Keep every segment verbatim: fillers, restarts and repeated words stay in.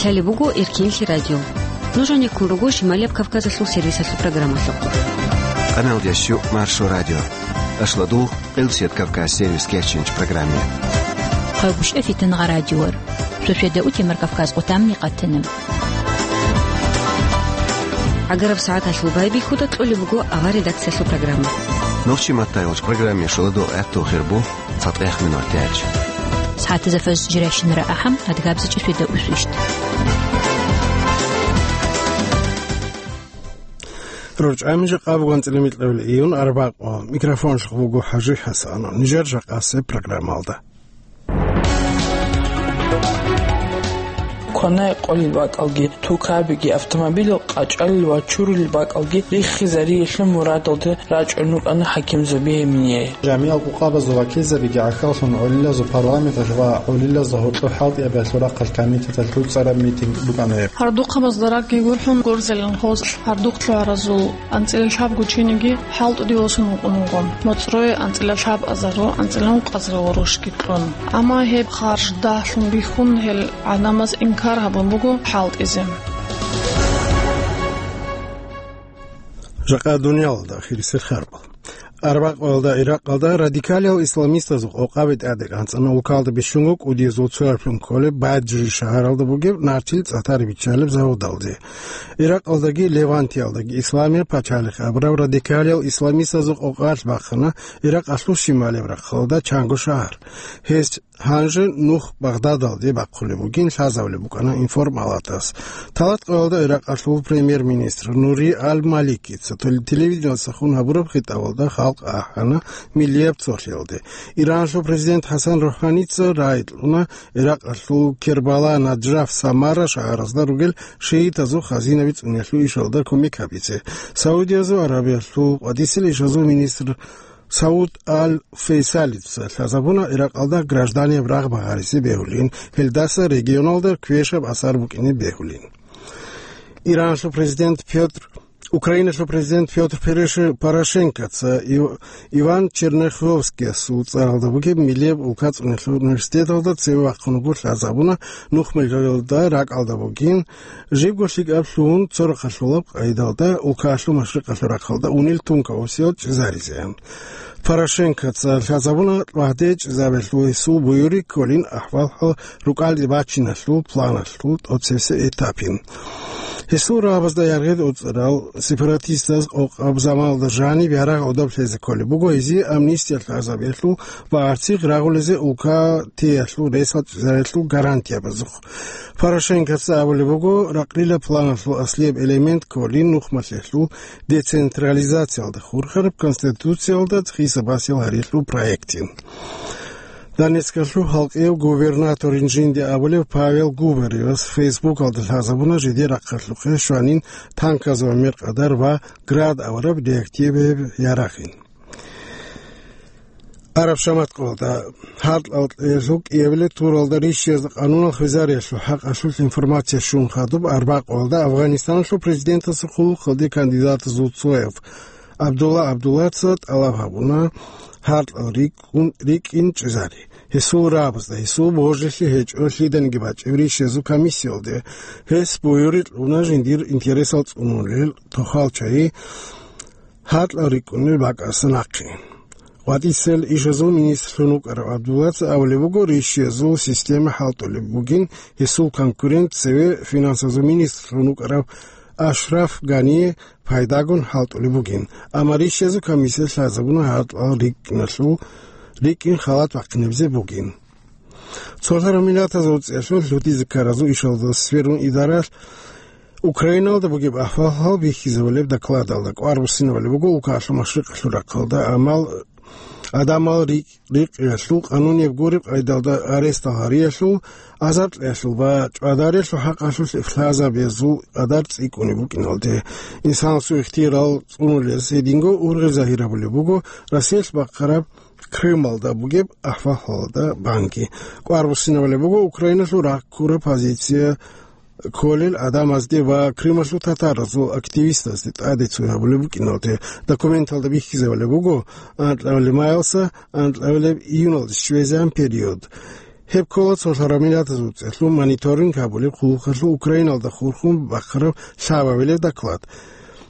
Лъалеб буго Эркинлъи радио. Нуж гьанеккун руго Шималияб Кавказалъул сервисалъул программалъухъ. Къаналдящу Маршо радио. Ашладул, Къилсият Кавказ сервис керчинч программе. Хъайгъушев Фитнагъа радиор. Шошеда утемар Кавказ къутамни къатана. Агараб сагӀаталъул байбихьуда кьолеб буго авар редакциялъул программа. Нохчи маттайолч программе шоладул гӀатту хирбу. ЦатӀех минутач. СагӀатазда фажр жирайщинара ахӀам, адгабзичӀеб шведа усвищ. РорчӀами жакъа буган цӀилимикьабил июн арбакъо. Микрофонлъухъ буго ХӀажи ХӀасанов. Нижер жакъасеб программалда. Кванай къолил бакӀалги, тукабиги, автомобилил къачӀалил ва чурулил бакӀалги риххизариялъул мурадалде рачӀун рукӀана ХӀакимзаби Эмине. Жамиал къукъабазул вакилзабиги гӀахьаллъун гӀолилазул парламенталъ ва гӀолилазда гьоркьоб хӀалтӀиябиялъул рахъалъ комитеталъ цӀараб митинг букӀана гьеб. Гьардухъабазда ракӀги гурхӀун гурзелин гъоз гьардухъ лъугӀаразул анцӀила лъабго чиниги хӀалтӀуде восун вукӀун вуго. МоцӀрое анцӀила лъабазару анцӀила ункъазару ворушги кьун. Амма гьеб харж дагьлъун бихьун, гьел гӀадамаз инкар гьабун буго хӀалтӀизе. Жакъа дуниялалда ахирисел хабар. Арбакъоялда Иракъалда радикалиял исламистазул къокъаби тӀаде кӀанцӀана улкалда бищунго кӀудиязул цояблъун кколеб Баджри шагьаралда бугеб нартил цӀатар биччалеб заводалде. Иракъалдаги Левантиялдаги Исламияб пачалихъ абураб радикалиял исламистазул къокъалъ бахъана Иракъалъул щималияб рахъалда чанго шагьар. Гьес гьанже нух Багъдадалде бахъулеб бугин лъазабулеб букӀана информалатас. ТалатӀкъоялда Иракъалъул премьер-министр Нури Аль-Малики ца тел-, телевидениялдаса хун гьабураб хитӀабалда халкъ ахӀана миллияб цолъиялде. Иранлъул президент ХӀасан РухӀаница рагӀи кьуна Иракъалъул Кербала, Наджаф, Самара шагьаразда ругел шиитазул хазинаби цӀуниялъул ишалда кумек гьабизе. Саудиязул Аравиялъул къватӀисел ишазул министр Сауд Аль-Фейсалица лъазабуна Иракъалда гражданияб рагъ багъаризе бегьулин, гьелдаса регионалда квешаб асар букӀине бегьулин. Иранлъул президент Пётр, Украиналъул президент Пётр Переше-, Порошенкоца Ив-, Иван Черняховскиясул цӀаралда бугеб миллияб улкацӀуниялъул университеталда цеве вахъун вуго лъазабуна нухмелалда ракӀалда бугин, жибго лъикӀаб лъугьун цо рахъалъулаб къайдалда улкалъул машрикъалъул рахъалда унел тункаусиял чӀезаризе. Порошенкоца лъазабуна лагьде чӀезабиялъул гьесул буюрги кколин ахӀвал-хӀал рукӀалде бачиналъул планалъул тӀоцебесеб этапин. Гьесул рагӀабазда яргъи оцӀарал сепаратистаз къокъаб заманалда жаниб ярагъ гӀодоб лъезе кколеб буго гьезие амнистия лъазабиялъул ва гӀарцихъ рагъулезе улка теялъул ресал чӀезариялъул гарантиябазухъ. Порошенкоца абулеб буго, ракълила планалъул аслияб элемент кколин нухмалъиялъул децентрализациялда хурхараб конституциялда хисабасел гьариялъул проектин. Донецкалъул халкъияв губернаторин жинди абулев Павел Губаревас Фейсбукалда лъазабуна жидер рахъалъухъе щванин танказул мер къадар ва Град авараб реактиваяб ярагъин. Араб шаматкъалда гьаркьалъ кӀиабилеб туралда рищиязда къанунал хвезариялъул хӀакъалъулъ информация щун хадуб арбакъоялда Афганистаналъул президентасухъ хъулухъалде кандидатазул цояв Абдулла Абдуллаца тӀалаб гьабуна гьаркьал рикӀкӀун, рикӀкӀин чӀезари. Гьесул рагӀабазда, гьесул божилъи гьечӀо лъиданиги бачӀеб рищиязул комиссиялде. Гьес буюрги кьуна жиндир интересал цӀунулел тохал чагӀи гьаркьал рикӀкӀунел бакӀаса нахъе. ВатӀицел ишазул министрлъун вукӀарав Абдуллаца абулеб буго, рищиязул система хӀалтӀулеб бугин, гьесул конкурент цеве финансазул министрлъун вукӀарав Ашраф Гание пайдагун хӀалтӀулеб бугин, амма рищиязул комиссия лъазабуна гьаркьал рикӀкӀиналъул, рикӀкӀин халат бахъинабизе бугин. Цолъараб Миллатазул ЦӀелъул лъутизе ккаразул ишалда сверун идаралъ Украиналда бугеб ахӀвал-хӀал бихьизабулеб докладалда кӀвар буссинабулеб буго улкалъул машрикъалъул рахъалда амал, адамал рикӀ-, рикъиялъул къанунияб гуреб къайдалда арестал гьариялъул, азаб кьеялъул ва чӀвадарелъул хӀакъалъулъ лъазабиязул къадар цӀикӀкӀунеб букӀиналде. Инсанасул ихтияр цӀунулес гьединго ургъел загьирабулеб буго Россиялъ бахъараб Крымалда бугеб ахӀвал-хӀалалда банги. КӀвар буссинабулеб буго Украиналъул раккураб позиция кколел адамазде ва Крымалъул татаразул активистазде тӀаде цой гьабулеб букӀиналде. Документалда бихьизабулеб буго анкьабилеб майалдаса анкьабилеб июналде щвезегӀан период. Гьеб ккола Цолъараб Миллатазул ЦӀехлъун мониторинг гьабулеб хъулухъалъул Украиналда хурхун бахъараб лъабабилеб доклад.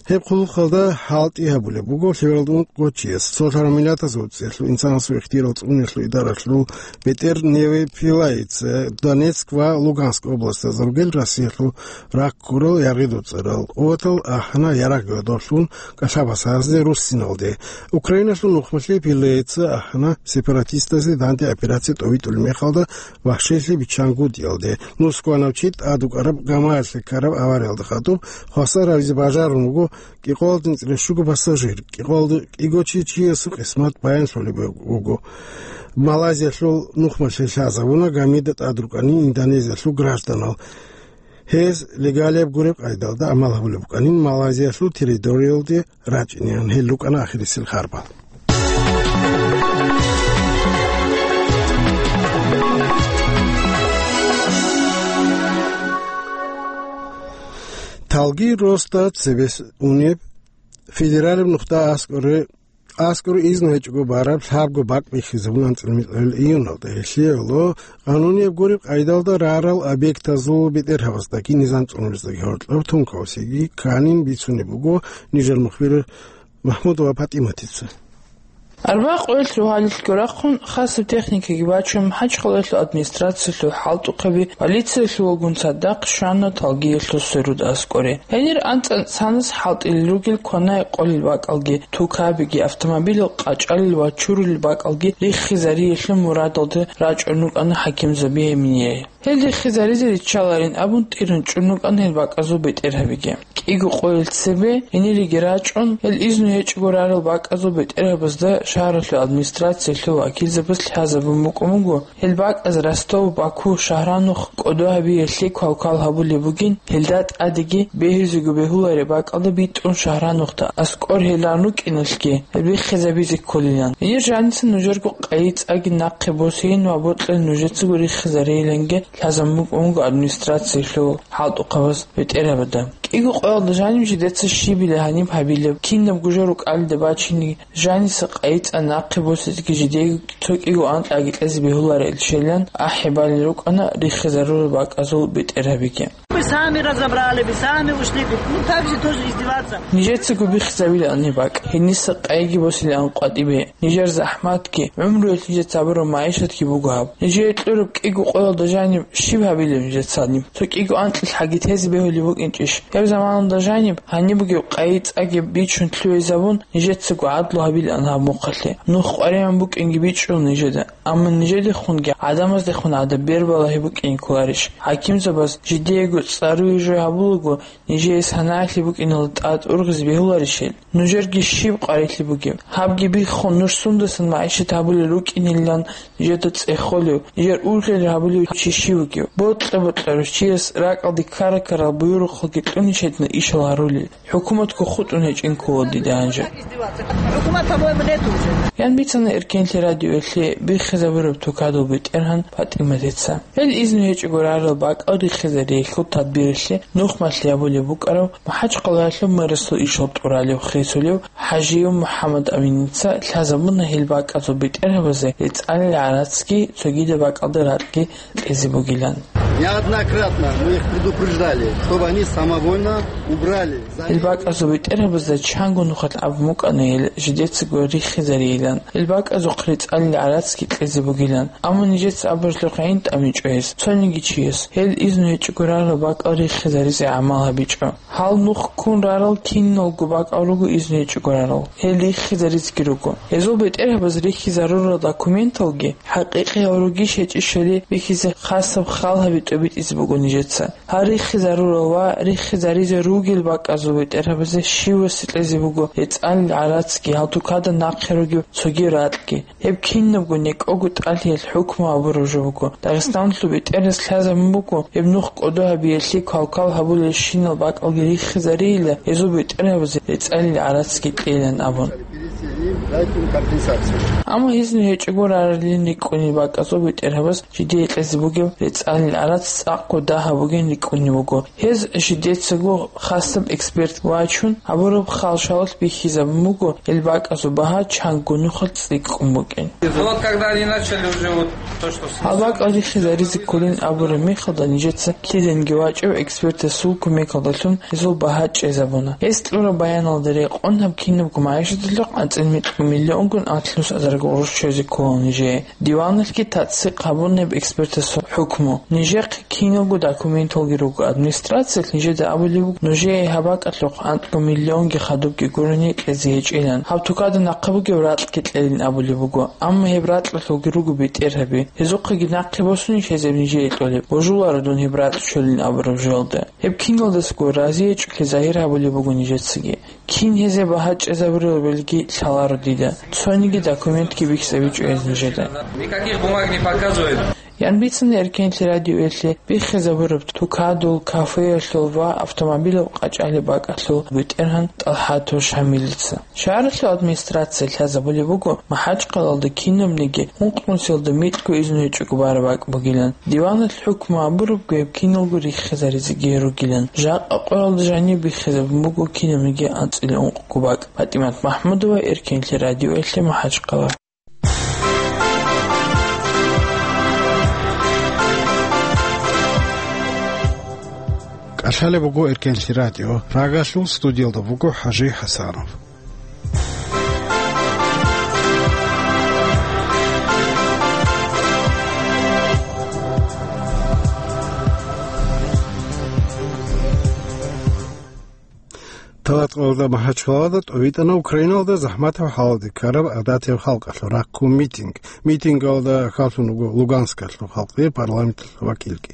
Гьеб хъулухъалда хӀалтӀи гьабулеб буго лъебералда ункъго чияс. Цолъараб Миллатазул ЦӀехлъун инсанасул ихтияр цӀунулъул идаралъул бетӀер Неве Пилаица Донецк ва Луганск областазда ругел Россиялъул ракӀ ккурал яргъидул цӀарал къуватал ахӀана ярагъ гадорлъун кӀалъабасазде руссиналде. Украиналъул нухмалъи Пилаица ахӀана сепаратистазде данде операция тӀовитӀулеб мехалда вахшиялъе биччангутӀиялде. Нусгоанав чи тӀад вукӀараб гамаялъе ккараб авариялда хадуб хвасар гьавизе бажарун вуго кӀикъоялда нуцӀрал щуго пассажир, кӀикъоялда кӀиго чи чиясул къисмат баянлъулеб буго. Малайзиялъул нухмалъе лъазабуна гамида тӀад рукӀанин Индонезиялъул гражданал. Гьез легалияб гуреб къайдалда гӀамал гьабулеб букӀанин Малайзиялъул территориялде рачӀинеян. Гьел рукӀана ахирисел харбал. Талги Роста цебес унеб федералиб нухда аскӀоре АскӀор изну гьечӀого бараб лъабго бакӀ бихьизабун анцӀила микьабил июналда. Гьелъие гӀоло, къанунияб гуреб къайдалда рарал объектазул бетӀергьабаздаги низам цӀунулездаги гьоркьоб тункавсиги кканин бицунеб буго нижер мухбир МахӀмудова ПатӀиматица. Арбакъоялъ рогьалилъго рахъун хасаб техникаги бачун, МахӀачхъалаялъул администрациялъул хӀалтӀухъаби полициялъувалгун цадахъ щвана Талгиялъул сверуд аскӀоре. Гьенир анцӀа цанас хӀалтӀулел ругел кванай къолел бакӀалги, тукабиги, автомобилал къачӀалел ва чурулел бакӀалги риххизариялъул мурадалда рачӀун рукӀана хӀакимзаби гьеб нижее. Гьел риххизаризе риччаларин абун тӀиран чӀун рукӀана гьел бакӀазул бетӀергьабиги. КӀиго къоялъ цебе гьениреги рачӀун, гьел изну гьечӀого рарал бакӀазул бетӀергьабазда шагьаралъул администрациялъул вакилзабаз лъазабун букӀун буго, гьел бакӀаз Ростов, Баку, Шагьранух кӀодо гьабиялъе квалквал гьабулеб бугин, гьелда тӀадеги бегьизего бегьулареб бакӀалда битӀун Шагьранухда аскӀор гьел ран рукӀиналъги, гьел биххизабизе кколилан. Гьенир жаниса нужерго къайи цӀаги нахъе босейин ва бокьун нужецаго риххизарейиланги лъазабун букӀун буго администрациялъул хӀалтӀухъабаз бетӀергьабада. КӀиго къоялда жаниб жидеца щибила гьаниб гьабилеб, кинабго жо рукӀалида бачине, жаниса къайи цӀа нахъе босизеги жидеего цо кӀиго анкьаги кьезе бегьуларел щелан ахӀи балел рукӀана риххизарурал бакӀазул бетӀергьабиги. Вы сами разобрали, вы сами ушли, ну так же тоже издеваться. Нижецаго биххизабилаан гьеб бакӀ, гьениса къайиги босилаан къватӀибе. Нижер захӀматги, гӀумруялъ нижеца гьабураб магӀишатги буго гьаб. Нижее кьураб кӀиго къоялда жаниб щиб гьабилеб нижецани? Цо кӀиго анкьил хӀаги тезе бегьулеб букӀинчӀищ? Гьеб заманалда жаниб, гьаниб бугеб къайи цӀаги бичун лъугӀизабун, нижецаго гӀадлу гьабилаан гьаб мухъалъе. Нух къваригӀун букӀинги бичӀчӀула нижеда, амма нижедехунги гӀадамаздехун гӀадаб бер балагьи букӀине кколарищ? ХӀакимзабаз жидеего цӀаруе жо гьабулаго, нижее санагӀалъи букӀиналда тӀад ургъизе бегьуларищ гьел? Нужерги щиб къварилъи бугеб? Гьабги биххун, нуж сундасан магӀишат гьабулел рукӀинилан нижеда цӀехолев, нижер ургъел гьабулев чи щив вугев? Бокьа-бокьарав чияс ракӀалде ккара-ккарал буюрухъалги кьунищ гьедина ишал гьарулел. ХӀукуматго хутӀун гьечӀин ккола дида гьанже. ХӀукумат, по-моему, нету уже. Ян бицана Эркенлъи радиоялъе биххизабураб тукадул бетӀергьан ПатӀиматица. Гьел изну гьечӀого рарал бакӀал риххизариялъул тадбиралъе нухмалъи гьабулеб букӀарав МахӀачхъалаялъул мэрасул ишал тӀуралев хисулев ХӀажиев МухӀаммад Аминица лъазабуна гьел бакӀазул бетӀергьабазе рецӀалил гӀарацги цогидаб бакӀалда ракьги кьезе бугилан. Неоднократно мы их предупреждали, чтобы они самовольно убрали. Гьел бакӀазул бетӀергьабазда чанго нухалъ абун букӀана гьел жидецаго риххизарейилан, гьел бакӀазухъ рецӀалил гӀарацги кьезе бугилан. Амма нижеца абуралъухъ гӀин тӀамичӀо гьес, цониги чияс, гьел изну гьечӀого рарал бакӀал риххизаризе гӀамал гьабичӀо. Гьал нух ккун рарал киналго бакӀал руго изну гьечӀого рарал, гьел риххизаризеги руго. Гьезул бетӀергьабаз риххизарурал документалги хӀакъикъиял ругищ гьечӀищали бихьизе хасаб хал гьаби тӀобитӀизе буго нижеца. Гьал риххизарурал ва риххизаризе ругел бакӀазул бетӀергьабазе щивасе кьезе буго рецӀалил гӀарацги, гьал тукада нахъе ругеб цоги ракьги. Гьеб кинабго некӀого тӀалъиялъ хӀукму гьабураб жо буго. Дагъистаналъул бетӀерас лъазабун буго, гьеб нух кӀодо гьабиялъе квалквал гьабулелщинал бакӀалги риххизарейила, гьезул бетӀергьабазе рецӀалил гӀарацги кьейилан абун. Дайте им компенсацию. Амма гьезин гьечӀого раралин рикӀкӀунеб бакӀазул бетӀергьабаз жидее кьезе бугеб рецӀалил арац цӀакъго дагьаб бугин рикӀкӀунеб буго. Гьез жидецаго хасаб эксперт вачун гьабураб халшалалъ бихьизабун буго, гьел бакӀазул багьа чанго нухалъ цӀикӀкӀун букӀин. Вот когда они начали уже вот то, что с- Гьал бакӀал рихизаризе кколин абураб мехалда нижеца киденги вачӀев экспертасул кумекалдалъун гьезул багьа чӀезабуна. Гьес кьураб баяналда рекъон гьаб кинабго магӀишаталъухъ анцӀила микьго миллионгун анлънус азарго гъурущ чӀезе ккола нижее. Диваналъги тацдикъ гьабуна гьеб экспертасул хӀукму. Нижехъ киналго документалги руго администрациялъ, нижеда абулеб буго, нужее гьаб бакӀалъухъ анкьго миллионги хадубги гурони кьезе гьечӀилан. Гьаб тукада нахъа бугеб ракьги кьелин абулеб буго, амма гьеб ракьалъулги руго бетӀергьаби. Гьезухъеги нахъе босунищ гьезеб нижее кьолеб, божуларо дун гьеб ракь чолин абураб жоялда. Гьеб киналдасаго разиячӀухъе загьир гьабулеб буго нижецаги. Кин гьезе багьа чӀезабурилан белги лъаларо дида. Цониги документги бихьизабичӀо гьез нижеда. Никаких бумаг не показывает. Ян бицана Эркенлъи радиоялъе биххизабураб тукадул, кафеялъул ва автомобилал къачӀалеб бакӀалъул бетӀергьан ТӀалхӀатов Шамилица. Шагьаралъул администрация лъазабулеб буго, МахӀачхъалалда кинабниги ункънусиялда микьго изну гьечӀого бараб бакӀ бугилан. Диваналъ хӀукму гьабурабго гьеб киналго риххизаризеги ругилан. Жакъа къоялда жаниб биххизабун буго кинабниги анцӀила ункъго бакӀ. ПатӀимат МахӀмудова, Эркенлъи радиоялъе, МахӀачхъала. КӀалъалеб буго Эркенлъи радио. Рагалъул студиялда буго ХӀажи ХӀасанов. Талаткъалда МахӀачхъалада тӀовитӀана Украиналда захӀматаб хӀалалде ккараб гӀадатияб халкъалъул рахъун митинг. Митингалда хьвадун вуго Луганскалъул халкъи парламенталъул вакилги.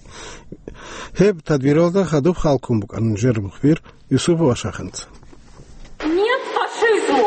Гьеб тадбиралда хадуб халкун букӀана нижер мухбир Юсупов Ашаханца. Нет фашизму!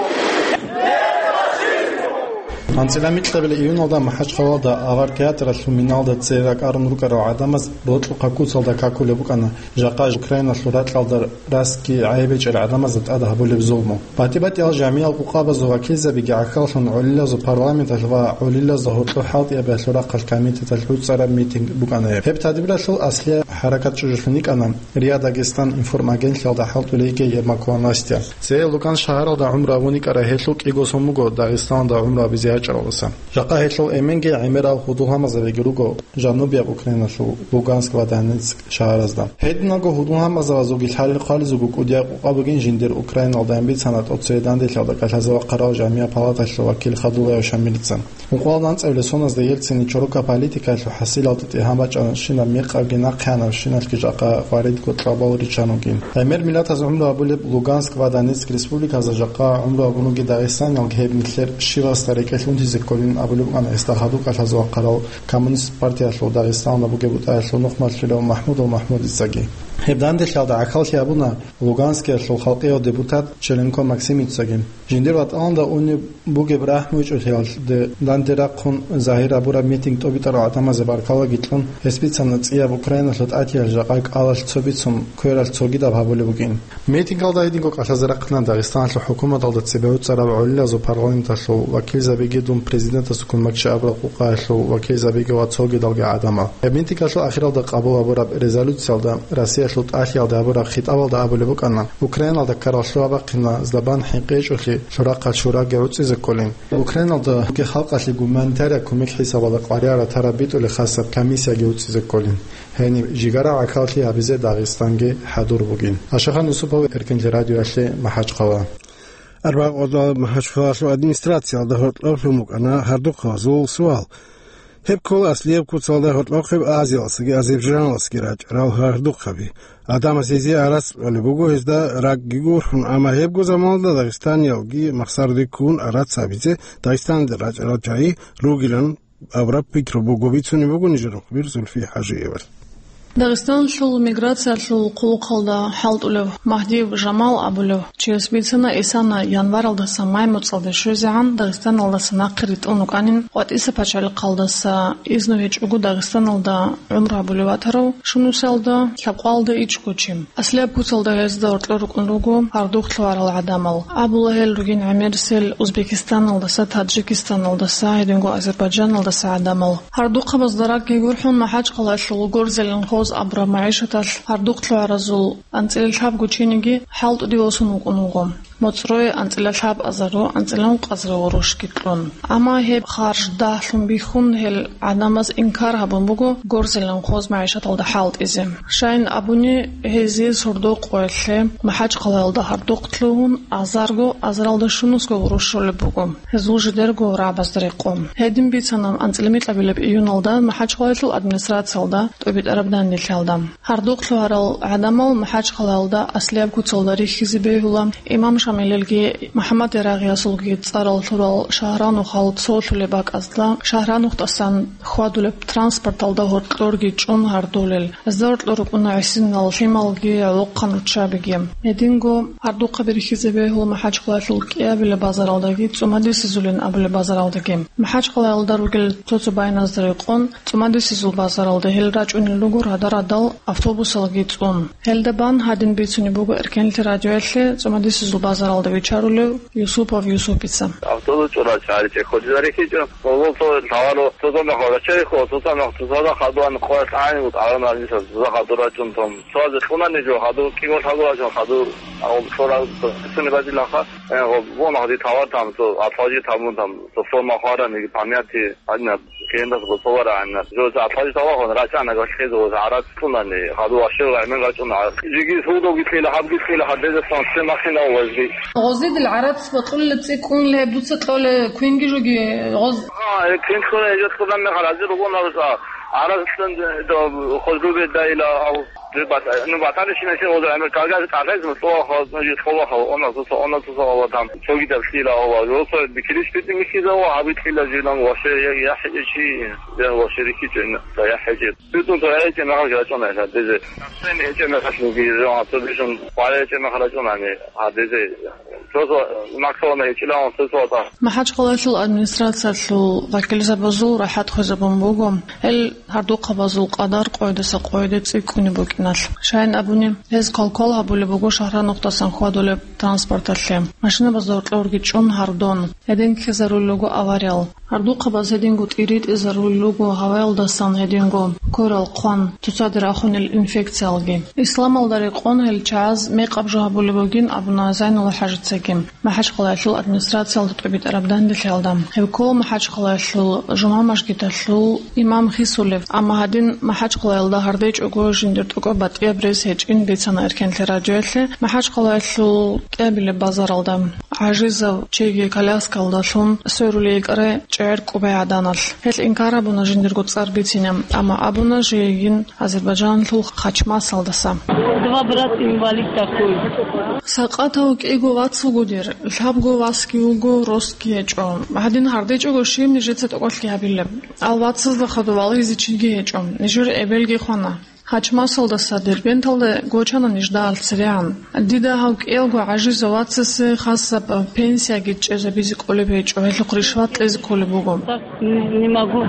АнцӀила микьабилеб июналда МахӀачхъалалда Авар театралъул миналда цере ракӀарун рукӀарал гӀадамаз рокьухъа куцалда какулеб букӀана жакъа Украиналъул ракьалда расги гӀайиб гьечӀел гӀадамазда тӀад гьабулеб зулму. БатӀи-батӀиял жамигӀал къукъабазул вакилзабиги гӀахьаллъун гӀолилазул парламенталъ ва гӀолилазда гьоркьоб хӀалтӀиябиялъул рахъалъ комитеталъ гӀуцӀараб митинг букӀана гьеб. Гьеб тадбиралъул аслияб хӀаракат чӀужулъун йикӀана РИА Дагестан информагенталъалда хӀалтӀулей йиги Ермакова Настя. Цее Луганск шагьаралда гӀумру гьабун йикӀарай гьелъул кӀиго сон буго Дагъистаналда гӀумру гьабизе ячӀаралдаса. Жакъа гьелъул эменги гӀемерал гьудул-гьамазабиги руго жанубияб Украиналъул Луганск ва Донецк шагьаразда. Гьединго гьудул-гьамазабазулги лъалел-хъвалезулго кӀудияб къукъа бугин жиндир Украиналда бицана тӀоцебе данделъиялда кӀалъазе вахъарал жамигӀ палаталъул вакил Хадулаев Шамилица. Ункъоялда анцӀабилеб соназда Ельцинил чорокаб политикаялъул хӀасилалда тӀегьан бачӀана щинаб мекъабги нахъе гьанаб щиналъги жакъа хваридго кьабал риччан вугин. ГӀемер миллатаз гӀумру гьабулеб Луганск ва Донецк республиказда жакъа гӀумру гьабун вугин дагъистаниялги гьеб нилъер щивасда рекӀелъ унтизе кколин абулеб букӀана гьесда хадуб кӀалъазе вахъарал Коммунист партиялъул Дагъистаналда бугеб бутӀаялъул нухмалъулев МахӀмудов МахӀмудицаги. Гьеб данделъиялда гӀахьаллъи гьабуна Луганскиялъул халкъияв депутат Челенко Максимицаги. Жиндир ватӀалда унеб бугеб рахӀмугьучӀулъиялде данде рахъун загьир гьабураб митинг тӀобитӀарал гӀадамазе баркалаги кьун, гьес бицана цӀияб Украиналъул тӀатиялъ жакъа кӀалалъ цо бицун, квералъ цогидаб гьабулеб букӀин. Митингалда гьединго кӀалъазе рахъана Дагъистаналъул хӀукуматалда цебе гӀуцӀараб гӀолилазул парламенталъул вакилзабиги, дун президентасуккун бакӀчи абураб къукъаялъул вакилзабиги ва цогидалги гӀадамал. Гьеб митингалъул ахиралда къабул гьабураб резолюциялда Россиялъул тӀалъиялда гьабураб хитӀабалда абулеб букӀана, Украиналда ккарал лъугьа-бахъина злабан хӀинкъи гьечӀолъи лъурахъалъ шурагги гӀуцӀизе кколин. Украиналда халкъалъе гуманитария кумек хӀисабалда къваригӀараб тараб битӀулеб хасаб комиссияги гӀуцӀизе кколин. Гьениб жигара гӀахьаллъи гьабизе Дагъистанги хӀадур бугин. Ашахан Юсупов, Эркенлъи радиоялъе, МахӀачхъала. Арбагъода МахӀачхъалалъул администрациялда гьоркьоб лъун букӀана гьардухъабазул суал. Гьеб ккола аслияб куцалда гьоркьохъеб Азиялдасаги Азербайджаналдасаги рачӀарал гьардухъаби. Гьадамаз гьезие арац кьолеб буго гьезда ракӀги гурхӀун, амма гьебго заманалда дагъистаниялги махсараде ккун арац гьабизе Дагъистаналде рачӀарал чагӀи ругилан абураб пикру буго, бицунеб буго нижер мухбир Зульфи ХӀажиевалъ. Дагъистаналъул миграциялъул хъулухъалда хӀалтӀулев Магьдиев Жамал абулев чияс бицана, исана январалдаса май муцӀалде щвезегӀан Дагъистаналдаса нахъе ритӀун рукӀанин, КъватӀиса пачалихъалдаса изну гьечӀого Дагъистаналда гӀумру гьабулев ватарав, Шунусалда лъабкъоялда ичӀго чи. Аслияб куцалда гьезда гьоркьор рукӀун руго гьардухъ лъугьарал гӀадамал. Абула гьел ругин гӀемерисел Узбекистаналдаса, Таджикистаналдаса, гьединго Азербайджаналдаса гӀадамал. Гьардухъабазда ракӀги гурхӀун, МахӀачхъалаялъул горзелин хоз абураб магӀишаталъ гьардухъ лъугьаразул анцӀила лъабго чиниги хӀалтӀуде восун вукӀун вуго. МоцӀрое анцӀила лъабазару анцӀила ункъазару гъурущги кьун. Амма гьеб харж дагьлъун бихьун, гьел гӀадамаз инкар гьабун буго горзелин хоз магӀишаталда хӀалтӀизе. Щайин абуни, гьезие сордо къоялъе МахӀачхъалаялда гьардухъ лъугьун, азарго, азаралда щунусго гъурущ щолеб буго, гьезул жидерго рагӀабазда рекъон. Гьедин бицана анцӀила микьабилеб июналда МахӀачхъалаялъул администрациялда тӀобитӀараб данделъиялда. Гьардухъ лъугьарал гӀадамал МахӀачхъалаялда аслияб куцалда рихьизе бегьула. Имам Шамилилги МухӀаммад Ярагъиясулги цӀарал лъурал Шагьранухал цолъулеб бакӀазда Шагьранухдасан хьвадулеб транспорталда гьоркьорги чӀун гьардулел. Гьезда гьоркьор рукӀуна гӀисинал лъималги гӀолохъан руччабиги. Гьединго гьардухъаби рихьизе бегьула МахӀачхъалаялъул кӀиабилеб базаралдаги ЦӀумадисезулин абулеб базаралдаги. МахӀачхъалаялда ругел цо-цо байназда рекъон, ЦӀумадисезул базаралда гьел рачӀунел руго рада-радал автобусалги цӀун. Гьелда бан гьадин бицунеб буго Эркенлъи радиоялъе ЦӀумадисезул базаралда вичарулев Юсупов Юсупица. Автобус чӀурал чагӀи ричӀе хъулизари хичӀо. Гъоло цо лъаваро, цо замехъ вагачайихъо, цо замехъ цо сада хадуан къоялъ гӀайин вутӀарана гьанисаб, цо хадур рачӀун том. Цоазе кьунани жо хадур, кӀиго лъагурачун хадур, агъул цо сунебазилаха, э, гъо, вон гьади тавар там, цо атлажи тамун там, цо форма хварани, памяти, гьадинаб, кендас гъо цо вара гьанна. Жо цо атлажи тавар хон, рачӀана гъо лъезе гъо гӀарац кьунани, хадур ашев гӀемер рачӀуна. Жиги судоги лъела, гьабги лъела, гьадезе сон се махина вазги. Гъозидил гӀарац бакьулел цӀикӀкӀун леб дуца кьоле квинги жуги гъоз. А, э, квин кьуна, эжо кьуна мехалази ругона руса. Гьарасдан, э, до, хозрубе дайла, ав, зе бат-, ну, батани шинаси хоза, ами, кагаз, кагаз, ну, то, хо-, ну, жи, хова, хо-, она, су, су, она, су, су, хова, там, чоги, там, шила, хова, росо, бикилиш, бити, михи, за, хова, хаби, шила, жи, нам, ваше, я, я, хе-, чи, я, ваше, рихи, чен, да, я, хе-, чи. Битун, то, я, чен, нахал, я, чон, я, дезе. Сен, я, чен, нахал, ну, ги, жо, а, то, бишун, пале, я, чен, нахал, чон, ами, а, дезе. Сосо, максона, я, чила, он, сосо, та. МахӀачхъалаялъул администрациялъул вакилзабазул рахӀат хвезабун буго, гьел гьардухъабазул къадар къойдаса къойде цӀикӀкӀунеб букӀиналъ. Щайин абуни, гьез квалквал гьабулеб буго Шагьранухдасан хьвадулеб транспорталъе. Машинабазда гьоркьорги чӀун гьардун, гьедин ккезарулел руго авариял. Гьардухъабаз гьединго тӀиритӀизарулел руго гьаваялдасан, гьединго кверал хъван, цоцаде рахунел инфекциялги. Исламалда рекъон гьел чагӀаз мекъаб жо гьабулеб бугин абуна Зайнулла ХӀажицаги. МахӀачхъалаялъул администрациялда тӀобитӀараб данделъиялда. Гьев ккола МахӀачхъалаялъул жума мажгиталъул имам хисулев, амма гьадин МахӀачхъалаялда гьардечӀого жиндир тӀокӀаб батӀияб рес гьечӀин бицана Эркенлъи радиоялъе МахӀачхъалаялъул кӀиабилеб базаралда. ГӀажизав чиги коляскалдалъун сверулей йикӀарай чӀегӀер кӀубай гӀаданалъ. Гьелъ инкар гьабуна жиндирго цӀар бицине, амма абуна жийин Азербайджаналъул Хачмасалдаса. Два брата инвалид такой. Сакъатав кӀиго вац вуго дир, лъабго васги вуго, росги гьечӀо. Гьадин гьардечӀого щиб нижеца тӀокӀалъги гьабилеб? Ал вацазда хадув вализе чиги гьечӀо, нижер эбелги хвана. Хачмасалдаса Дербенталда гочана нижда алцирегӀан. Дида гьав кӀиялго гӀажизав вацасе хасаб пенсияги чӀезабизе кӀолеб гьечӀо, гьелъухъ ришват кьезе кколеб буго. Так не, не могу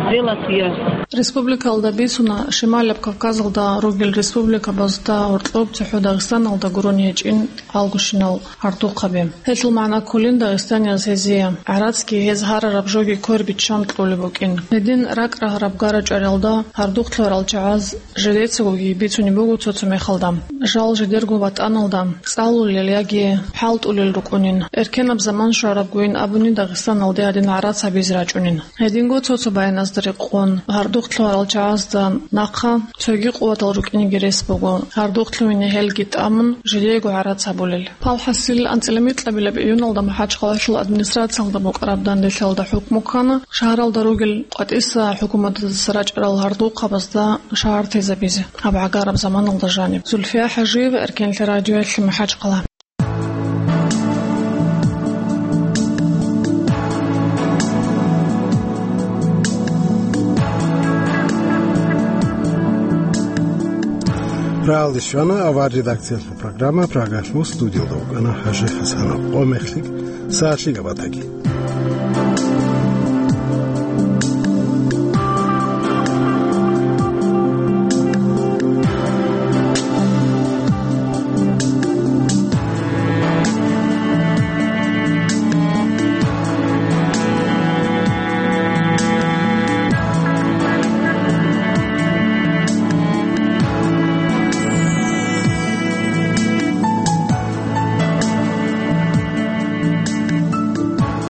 сделать я. Республикалда бицуна Шималаб Кавказалда ругел республикабазда гьоркьоб цохӀо Дагъистаналда гурони гьечӀин алгощинал гьардухъаби. Гьелъул магӀна кколин дагъистанияз гьезие, гӀарацги гьез гьарараб жоги квер биччан кьолеб букӀин. Гьедин ракӀ рагьараб гара-чӀваралда гьардухъ лъугьарал чагӀаз жидецагоги бицунеб буго цо-цо мехалда. Жал жидерго ватӀаналда цӀалулел яги хӀалтӀулел рукӀунин, эркенаб заман щварабгойин абуни Дагъистаналде гьадин гӀарац гьабизе рачӀунин. Гьединго цо-цо байназда рекъон, гьардухъ лъугьарал чагӀазда нахъа цоги къуватал рукӀинеги рес буго, гьардухъ лъугьине гьелги тӀамун, жидеего гӀарац гьабулел. Палхасил анцӀила микьабилеб июналда МахӀачхъалаялъул администрациялда букӀараб данделъиялда хӀукму ккана шагьаралда ругел КъватӀиса хӀукуматалдаса рачӀарал гьардухъабазда шагьар тезабизе, гьаб гӀагараб заманалда жаниб. Зульфия ХӀажиева, Эркенлъи радиоялъе, МахӀачхъала. Ралде щвана авар редакциялъул программа. Прагалъул студиялда вукӀана Хажи Хасанов. Къо мехлъи сагӀатлъи габатаги.